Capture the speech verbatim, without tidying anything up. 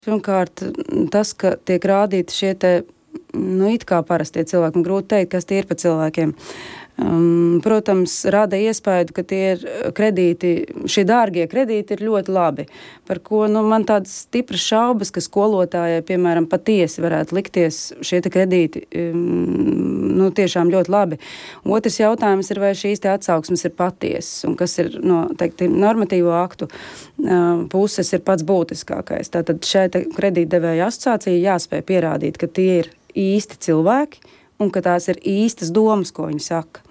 Pirmkārt, tas, ka tiek rādīti šie te, nu, it kā parastie cilvēki, un grūti teikt, kas tie ir pa cilvēkiem. Um, protams, rada iespēju, ka tie ir kredīti, šie dārgie kredīti ir ļoti labi, par ko, nu, man tādas stipras šaubas, ka skolotājai, piemēram, patiesi varētu likties šie te kredīti, um, nu, tiešām ļoti labi. Otrs jautājums ir, vai šīs te atsauksmes ir patiesas, un kas ir, no, teikti, normatīvo aktu uh, puses ir pats būtiskākais. Tātad šai te kredītdevēja asociācija jāspēj pierādīt, ka tie ir īsti cilvēki, un ka tās ir īstas domas, ko viņi saka.